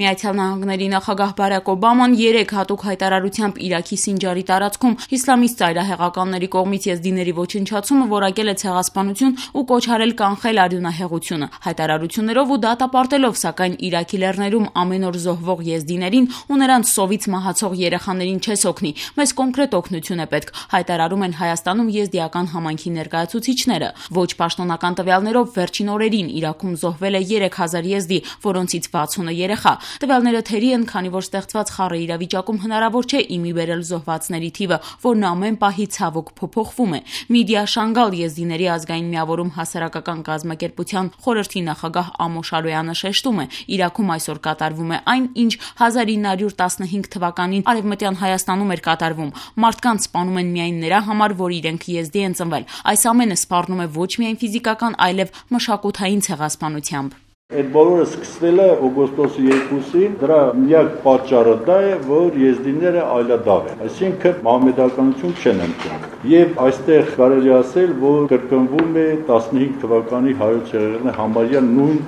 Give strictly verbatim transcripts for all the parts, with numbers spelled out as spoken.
Միացյալ Նահանգների նախագահ Բարաք Օբաման երեկ հատուկ հայտարարությամբ Իրաքի Սինջարի տարածքում իսլամիստ ծայրահեղականների կողմից եզդիների ոչնչացումը որակել է ցեղասպանություն ու կոչ արել կանխել արյունահեղությունը։ Հայտարարություններով ու դատապարտելով, սակայն Իրաքի լեռներում ամեն օր զոհվող եզդիներին ու նրանց սովից մահացող երեխաներին չես օգնի, մեզ կոնկրետ օգնություն է պետք, հայտարարում են Հայաստանում եզդիական համայնքի ներկայացուցիչները։ Ոչ պաշտոնական տվյալներով վերջին օրերին Իրաքում զոհվել է երեք հազար եզդի, որոնցից վաթսունը երեխա։ Տվյալները թերի են, քանի որ ստեղծված խառը իրավիճակում հնարավոր չէ իմի բերել զոհվածների թիվը, որն ամեն պահի ցավոք փոփոխվում է։ Միդիա Շանգալ եզդիների ազգային միավորում հասարակական կազմակերպության խորհրդի նախագահ Ամոշ Արոյանը շեշտում է, Իրաքում այսօր կատարվում է այն, ինչ հազար ինը հարյուր տասնհինգ թվականին Արևմտյան Հայաստանում էր կատարվում։ Մարդկանց սպանում են միայն նրա համար, որ իրենք եզդի են ծնվել։ Այս ամենը սպառնում է ոչ միայն ֆիզիկական, այլև մշակութային ցեղասպանությամբ։ Այդ բոլորը սկսվել է օգոստոսի երկուսին, դրա միակ պատճառը դա է, որ եզդիները այլադավ են, այսինքն մահմեդականություն չեն ընդունում։ Եվ այստեղ կարելի ասել, որ կրկնվում է տասնհինգ թվականի հայոց եղերնը համարյա նույն,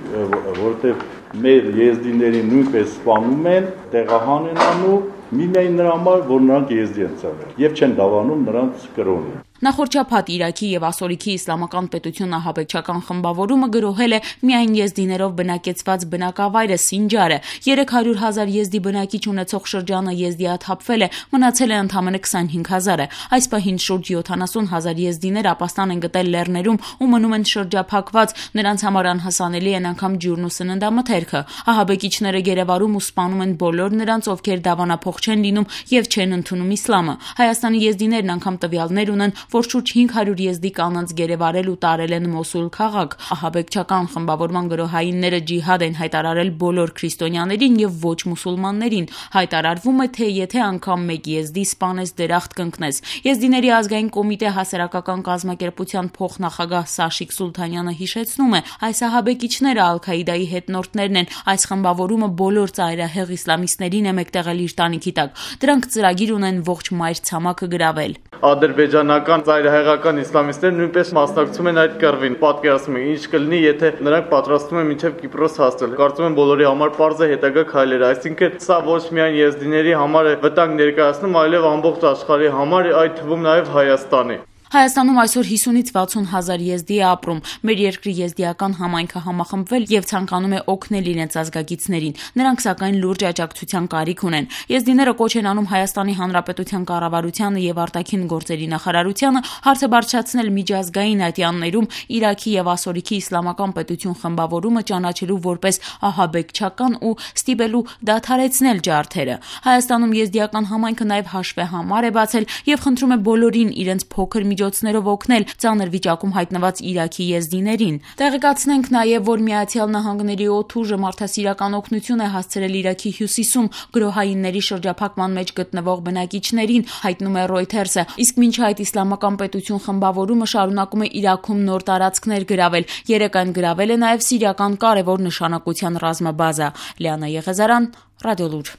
որտեղ մեր եզդիներին նույնպես սպանում են, տեղահան են անում, միմիայն նրա համար, որ նրանք եզդի են ծնվել, եւ չեն դավանում նրանց կրոնը։ Նախորդ շաբաթ Իրաքի եւ Ասորիքի իսլամական պետություն ահաբեկչական խմբավորումը գրոհել է միայն եզդիներով բնակեցված բնակավայրը Սինջարը։ երեք հարյուր հազար եզդի բնակիչ ունեցող շրջանը եզդիաթափվել է, մնացել է ընդամենը քսանհինգ հազարը։ Այս պահին շուրջ յոթանասուն հազար եզդիներ ապաստան են գտել լեռներում ու մնում են շրջափակված, նրանց համար անհասանելի են անգամ ջուրն ու սննդամթերքը։ Ահաբեկիչները գերեվարում ու սպանում են բոլոր նրանց, ովքեր դավանափոխ չեն լինում եւ չեն ընդունում իսլամը։ Հայաստանի եզդիներն անգամ տվյալներ ունեն, որ շուրջ հինգ հարյուր եզդի կանանց գերեվարել ու տարել են Մոսուլ քաղաք։ Ահաբեկչական խմբավորման գրոհայինները ջիհադ են հայտարարել բոլոր քրիստոնյաներին եւ ոչ մուսուլմաններին։ Հայտարարվում է, թե եթե անգամ մեկ եզդի սպանես, դրախտ կընկնես։ Եզդիների ազգային կոմիտե հասարակական կազմակերպության փոխնախագահ Սաշիկ Սուլթանյանը հիշեցնում է, այս ահաբեկիչները Ալ-Քաիդայի հետնորդներն են, այս խմբավորումը բոլոր ծայրահեղ իսլամիստներին է մեկտեղել իր տանիքի տակ։ Դրանք ծրագիր ունեն ողջ մայրցամաքը գրավել։ Ադրբեջանական ծայրահեղական իսլամիստները նույնպես մասնակցում են այդ կռվին։ Պատկերացնում եք, ինչ կլինի, եթե նրանք պատրաստվում են մինչև Կիպրոս հասնել։ Կարծում եմ բոլորի համար պարզ է հետագա քայլերը, այսինքն սա ոչ միայն եզդիների համար է վտանգ ներկայացնում, այլև ամբողջ աշխարհի համար, այդ թվում նաև Հայաստանի։ Հայաստանում այսօր հիսունից վաթսուն հազար եզդի է ապրում։ Մեր երկրի եզդիական համայնքը համախմբվել եւ ցանկանում է օգնել իրենց ազգագիցներին։ Նրանք սակայն լուրջ աջակցության կարիք ունեն։ Եզդիները կոչ են անում Հայաստանի Հանրապետության կառավարությանը եւ արտաքին գործերի նախարարությանը հարցը բարձրացնել միջազգային ատյաններում Իրաքի եւ Ասորիքի իսլամական պետություն խմբավորումը ճանաչելու որպես ահաբեկչական ու ստիպելու դադարեցնել ջարդերը։ Հայաստանում եզդիական համայնքը նաեւ հաշվեհամար է բացել եւ խնդրում է բոլորին իրենց փոքր միջոցներով օգնել ծանր վիճակում հայտնված Իրաքի եզդիներին։ Տեղեկացնենք նաև, որ Միացյալ Նահանգների օդուժը մարդասիրական օգնություն է հասցրել Իրաքի հյուսիսում գրոհայինների շրջափակման մեջ գտնվող բնակիչներին, հայտնում է Reuters-ը։ Իսկ մինչ այդ իսլամական պետություն խմբավորումը շարունակում է Իրաքում նոր տարածքներ գրավել։ Երեկ այն գրավել է նաև սիրիական կարևոր նշանակության ռազմաբազա։ Լիանա Եղեզարյան, Ռադիոլուր։